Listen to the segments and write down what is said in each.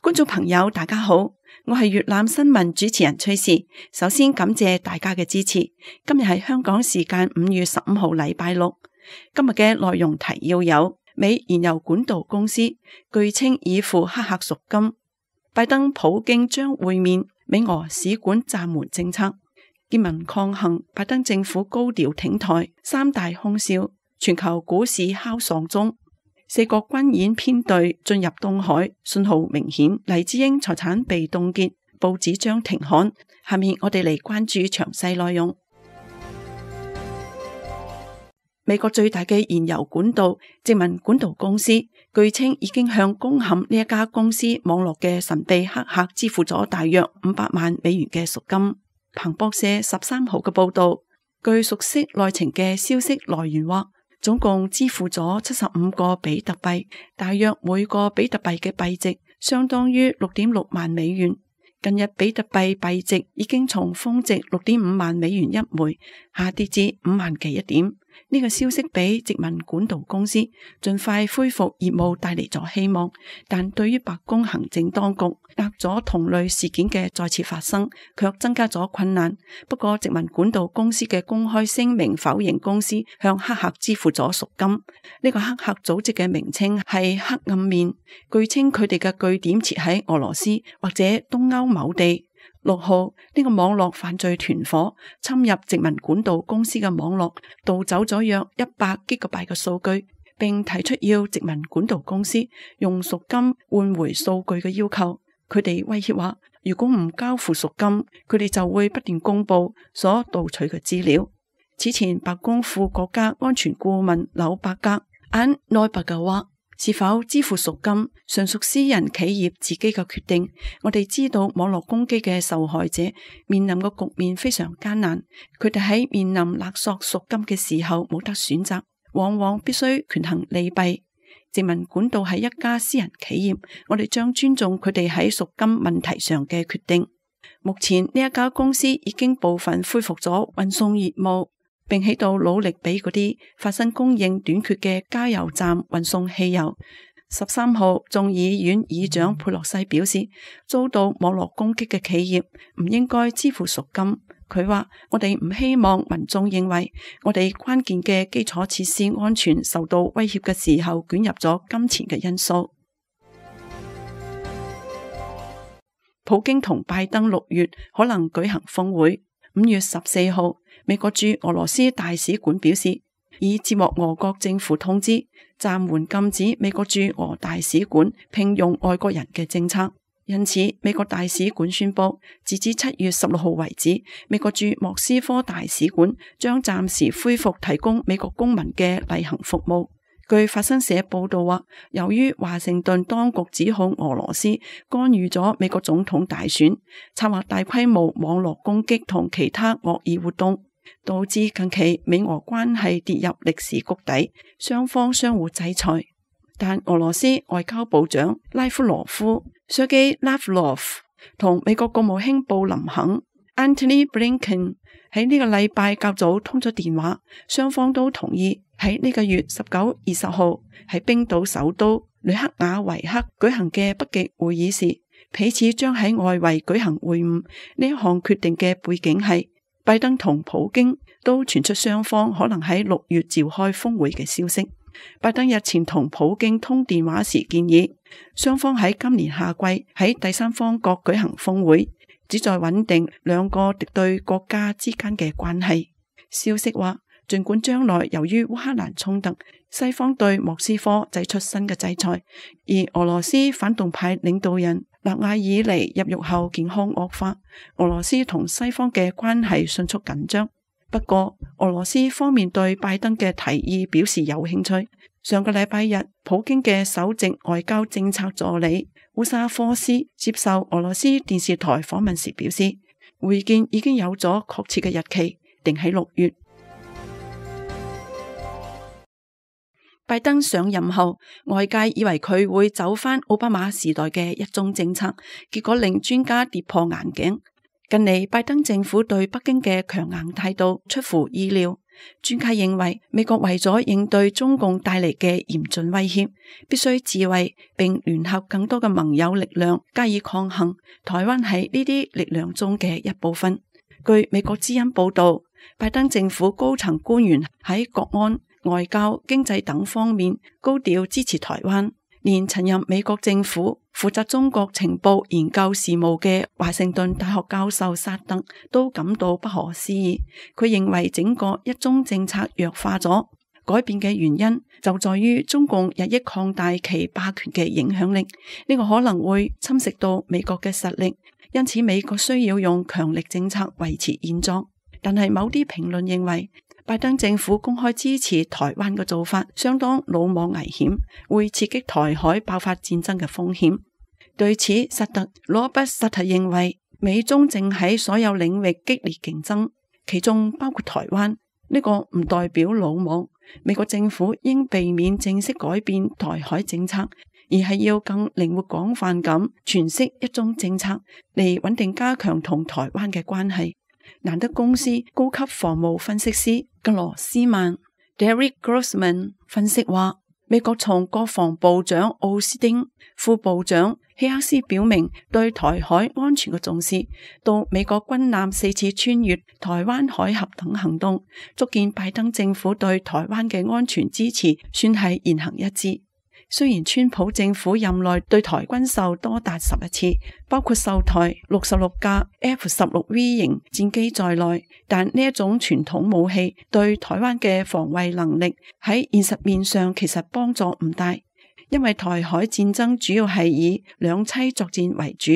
觀眾朋友大家好，我係粵覽新聞主持人崔氏。首先感謝大家嘅支持。今日係香港時間5月15號禮拜六。今日嘅內容提要有：美燃油管道公司據稱已付黑客贖金；拜登普京將會面；美俄使館暫緩政策；結盟抗衡；拜登政府高調挺台；三大空襲；全球股市敲喪鐘；四國軍演編隊進入東海，信號明顯；黎智英財產被凍結，報紙將停刊。下面我哋嚟關注詳細內容。美國最大嘅燃油管道殖民管道公司據稱已經向攻陷呢一家公司網絡嘅神秘黑客支付咗大約500萬美元嘅贖金。彭博社13號嘅報道，據熟悉內情嘅消息來源話，總共支付咗75個比特幣，大約每個比特幣嘅幣值相當於6.6萬美元。近日比特幣幣值已經從峰值6.5萬美元一枚下跌至5萬幾一點。呢個消息俾殖民管道公司盡快恢復業務帶嚟咗希望，但對於白宮行政當局壓咗同類事件嘅再次發生，卻增加咗困難。不過殖民管道公司嘅公開聲明否認公司向黑客支付咗贖金。呢個黑客組織嘅名稱係黑暗面，據稱佢哋嘅據點設喺俄羅斯或者東歐某地。6號，呢個網絡犯罪團伙侵入殖民管道公司嘅網絡，盜走咗約100 GB 嘅數據，並提出要殖民管道公司用贖金換回數據嘅要求。佢哋威脅話，如果唔交付贖金，佢哋就會不斷公布所盜取嘅資料。此前白宮副國家安全顧問紐伯格安內伯格話，是否支付贖金純屬私人企業自己嘅決定。我哋知道網絡攻擊嘅受害者面臨嘅局面非常艱難，佢哋喺面臨勒索贖金嘅時候冇得選擇，往往必須權衡利弊。殖民管道係一家私人企業，我哋將尊重佢哋喺贖金問題上嘅決定。目前呢一家公司已經部分恢復咗運送業務，並喺度努力俾嗰啲發生供應短缺嘅加油站運送汽油。13號，眾議院議長佩洛西表示，遭到網絡攻擊嘅企業唔應該支付贖金。佢話，我哋唔希望民眾認為我哋關鍵嘅基礎設施安全受到威脅嘅時候捲入咗金錢嘅因素。普京同拜登6月可能舉行峰會。5月14號，美國駐俄羅斯大使館表示，已接獲俄國政府通知，暫緩禁止美國駐俄大使館聘用外國人嘅政策。因此，美國大使館宣布，截至7月16號為止，美國駐莫斯科大使館將暫時恢復提供美國公民嘅例行服務。據法新社報道話，由於華盛頓當局指控俄羅斯干預咗美國總統大選，策劃大規模網絡攻擊同其他惡意活動，導致近期美俄關係跌入歷史谷底，雙方相互制裁。但俄羅斯外交部長拉夫羅夫 Sergei Lavrov 同美國國務卿布林肯 Antony Blinken 喺呢個禮拜較早通咗電話，雙方都同意喺呢個月19、20號喺冰島首都雷克雅維克舉行嘅北極會議時，彼此將喺外圍舉行會晤。呢一項決定嘅背景係拜登同普京都傳出雙方可能喺6月召開峰會嘅消息。拜登日前同普京通電話時建議，雙方喺今年夏季喺第三方國舉行峰會，旨在穩定兩個敵對國家之間嘅關係。消息話，儘管將來由於烏克蘭衝突，西方對莫斯科祭出新嘅制裁，而俄羅斯反動派領導人納瓦爾尼入獄後健康惡化，俄羅斯同西方嘅關係迅速緊張。不過，俄羅斯方面對拜登嘅提議表示有興趣。上個禮拜日，普京嘅首席外交政策助理烏沙科斯接受俄羅斯電視台訪問時表示，會見已經有咗確切嘅日期，定喺6月。拜登上任後，外界以為佢會走返奧巴馬時代嘅一中政策，結果令專家跌破眼鏡。近嚟拜登政府對北京嘅強硬態度出乎意料，專家認為，美國為咗應對中共帶嚟嘅嚴峻威脅，必須自衛並聯合更多嘅盟友力量加以抗衡。台灣係呢啲力量中嘅一部分。據美國之音報道，拜登政府高層官員喺國安、外交、經濟等方面高調支持台灣。連曾任美國政府負責中國情報研究事務嘅華盛頓大學教授薩特都感到不可思議。佢認為整個一中政策弱化咗，改變嘅原因就在於中共日益擴大其霸權嘅影響力，呢個可能會侵蝕到美國嘅實力，因此美國需要用強力政策維持現狀。但係某啲評論認為，拜登政府公開支持台灣嘅做法相當魯莽危險，會刺激台海爆發戰爭嘅風險。對此，羅伯薩特認為，美中正喺所有領域激烈競爭，其中包括台灣。呢個唔代表魯莽，美國政府應避免正式改變台海政策，而係要更靈活廣泛咁詮釋一中政策，嚟穩定加強同台灣嘅關係。蘭德公司高級防務分析師格羅斯曼 Derek Grossman 分析話，美國從國防部長奧斯汀、副部長希克斯表明對台海安全嘅重視，到美國軍艦4次穿越台灣海峽等行動，足見拜登政府對台灣嘅安全支持算係言行一致。雖然川普政府任內對台軍售多達11次，包括售台66架 F-16V 型戰機在內，但呢一種傳統武器對台灣嘅防衛能力喺現實面上其實幫助唔大，因為台海戰爭主要係以兩棲作戰為主，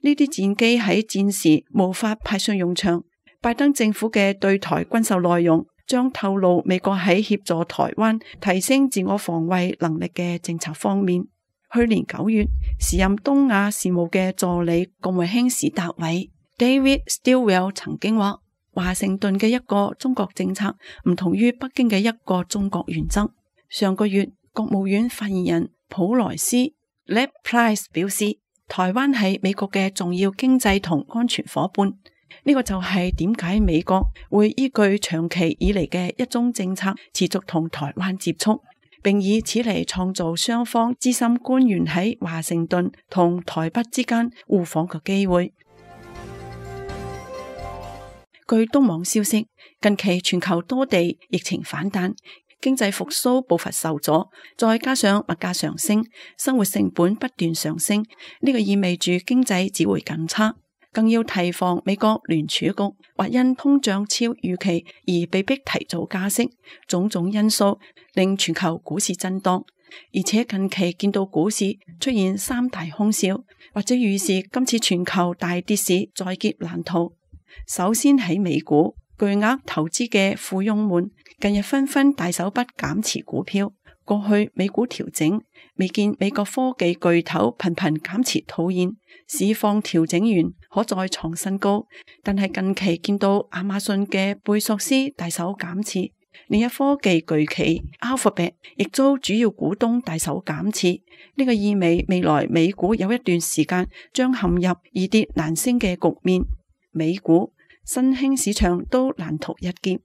呢啲戰機喺戰時無法派上用場。拜登政府嘅對台軍售內容將透露美國喺協助台灣提升自我防衛能力嘅政策方面。去年9月，時任東亞事務嘅助理國務卿史達偉 David Stilwell 曾經話，華盛頓嘅一個中國政策唔同於北京嘅一個中國原則。上個月，國務院發言人普萊斯 Ned Price 表示，台灣係美國嘅重要經濟同安全夥伴。呢個就係點解美國會依據長期以嚟嘅一中政策持續同台灣接觸，並以此嚟創造雙方資深官員喺華盛頓同台北之間互訪嘅機會。據東網消息，近期全球多地疫情反彈，經濟復甦步伐受阻，再加上物價上升，生活成本不斷上升，呢個意味住經濟只會更差。更要提防美國聯儲局或因通脹超預期而被迫提早加息，種種因素令全球股市震盪。而且近期見到股市出現三大空笑，或者預示今次全球大跌市在劫難逃。首先喺美股，巨額投資嘅富翁們近日紛紛大手筆減持股票。過去美股調整，未見美國科技巨頭頻頻減持套現，市況調整完可再創新高。但係近期見到亞馬遜嘅貝索斯大手減持，另一科技巨企 Alphabet 亦遭主要股東大手減持，呢個意味未來美股有一段時間將陷入易跌難升嘅局面，美股、新興市場都難逃一劫。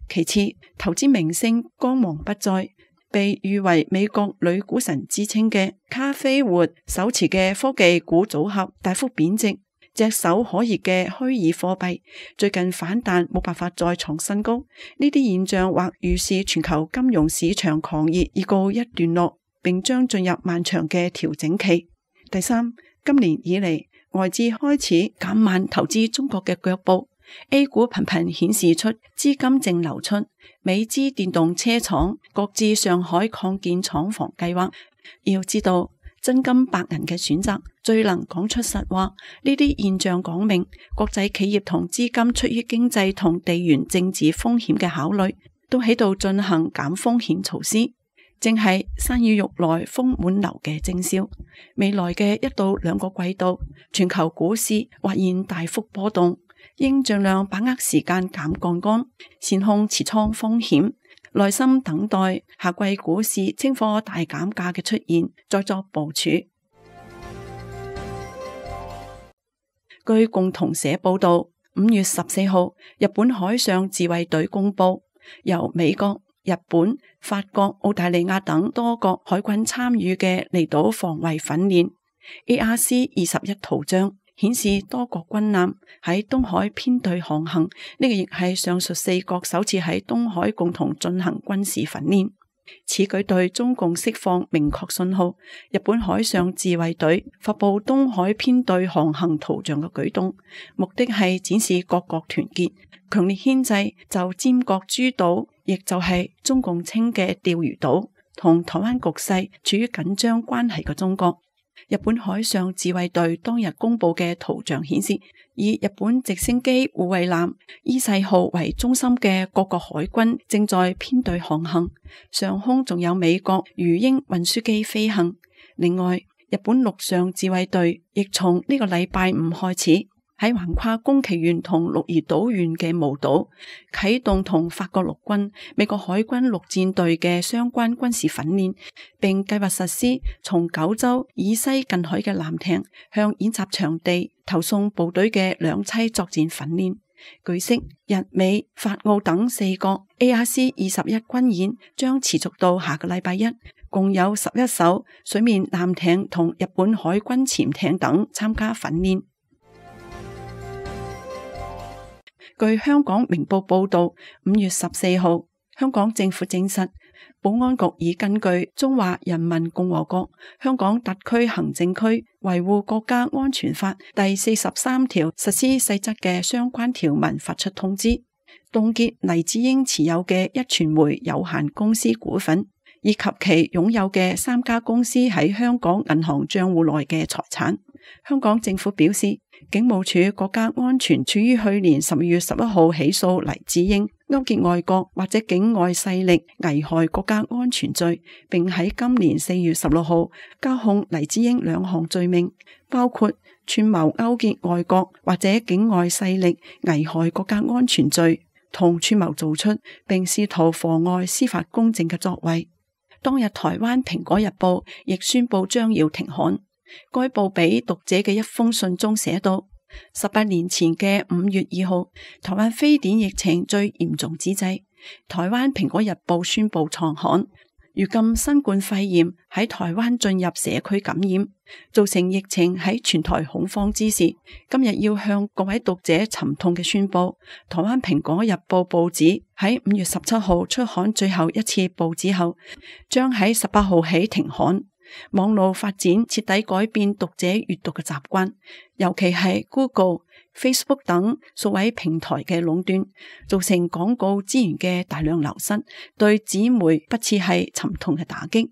其次，投資明星光芒不再。被譽為美國女股神之稱嘅卡菲活手持嘅科技股組合大幅貶值，炙手可熱嘅虛擬貨幣最近反彈冇辦法再創新高。呢啲現象或預示全球金融市場狂熱已告一段落，並將進入漫長嘅調整期。第三，今年以嚟外資開始減慢投資中國嘅腳步。A 股頻頻顯示出資金淨流出，美資電動車廠擱置上海擴建廠房計劃。要知道，真金白銀嘅選擇最能講出實話。呢啲現象講明，國際企業同資金出於經濟同地緣政治風險嘅考慮，都喺度進行減風險措施，正係山雨欲來風滿樓嘅徵兆。未來嘅1到2個季度，全球股市或現大幅波動。應盡量把握時間減槓桿，善控持倉風險，耐心等待下季股市清貨大減價嘅出現，再作部署。據共同社報道，5月14號，日本海上自衛隊公布，由美國、日本、法國、澳大利亞等多國海軍參與嘅離島防衛訓練。ARC-21圖像顯示多國軍艦喺東海編隊航行，呢個亦係上述4國首次喺東海共同進行軍事訓練。此舉對中共釋放明確信號，日本海上自衛隊發布東海編隊航行圖像嘅舉動，目的係展示各國團結、強烈牽制就尖閣諸島，亦就係中共稱嘅釣魚島同台灣局勢處於緊張關係嘅中國。日本海上自衛隊當日公布嘅圖像顯示，以日本直升機護衛艦伊勢號為中心嘅各國海軍正在編隊航行，上空仲有美國魚鷹運輸機飛行。另外，日本陸上自衛隊亦從呢個禮拜五開始喺橫跨宮崎縣同鹿兒島縣嘅無島啟動同法國陸軍、美國海軍陸戰隊嘅相關軍事訓練，並計劃實施從九州以西近海嘅艦艇向演習場地投送部隊嘅兩棲作戰訓練。據悉，日美法澳等4國 ARC-21軍演將持續到下個禮拜一，共有11艘水面艦艇同日本海軍潛艇等參加訓練。據香港明報報道，5月14號，香港政府證實，保安局已根據《中華人民共和國香港特區行政區維護國家安全法》第43條實施細則嘅相關條文發出通知，凍結黎智英持有嘅壹傳媒有限公司股份，以及其擁有嘅3家公司喺香港銀行賬戶內嘅財產。香港政府表示，警務處國家安全處於去年12月11號起訴黎智英勾結外國或者境外勢力危害國家安全罪，並喺今年4月16號交控黎智英2項罪名，包括串謀勾結外國或者境外勢力危害國家安全罪，同串謀做出並試圖妨礙司法公正嘅作為。當日台灣蘋果日報亦宣布將要停刊。該報俾讀者嘅一封信中寫道：18年前嘅5月2號，台灣非典疫情最嚴重之際，台灣蘋果日報宣布創刊。如今新冠肺炎喺台灣進入社區感染，造成疫情喺全台恐慌之時，今日要向各位讀者沉痛嘅宣布，台灣蘋果日報報紙喺5月17號出刊最後一次報紙後，將喺18號起停刊。網絡發展徹底改變讀者閱讀嘅習慣，尤其係 Google、Facebook 等數位平台嘅壟斷，造成廣告資源嘅大量流失，對紙媒不啻係沉痛嘅打擊。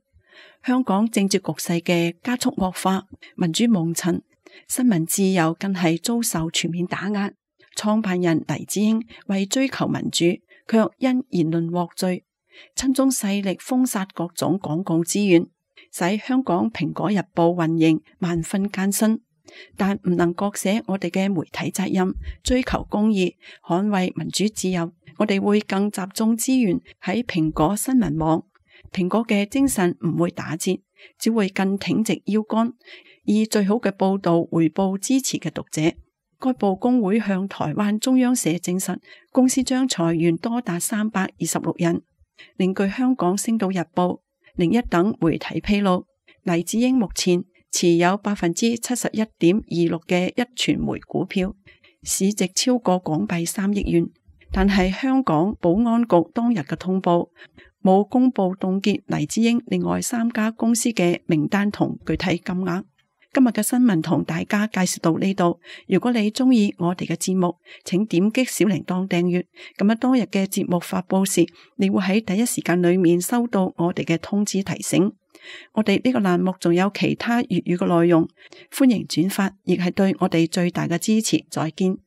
香港政治局勢嘅加速惡化，民主蒙塵，新聞自由更係遭受全面打壓。創辦人黎智英為追求民主，卻因言論獲罪，親中勢力封殺各種廣告資源，使香港蘋果日報運營萬分艱辛，但唔能割捨我哋嘅媒體責任，追求公義，捍衛民主自由。我哋會更集中資源喺蘋果新聞網，蘋果嘅精神唔會打折，只會更挺直腰桿，以最好嘅報道回報支持嘅讀者。該報工會向台灣中央社證實，公司將裁員多達326人。另據香港星島日報、01等媒體披露，黎智英目前持有71.26%嘅壹傳媒股票，市值超過港幣3億元。但係香港保安局當日嘅通報冇公布凍結黎智英另外3家公司嘅名單同具體金額。今日嘅新聞同大家介紹到呢度。如果你中意我哋嘅節目，請點擊小鈴鐺訂閱。咁樣當日嘅節目發佈時，你會喺第一時間裏面收到我哋嘅通知提醒。我哋呢個欄目仲有其他粵語嘅內容，歡迎轉發，亦係對我哋最大嘅支持。再見。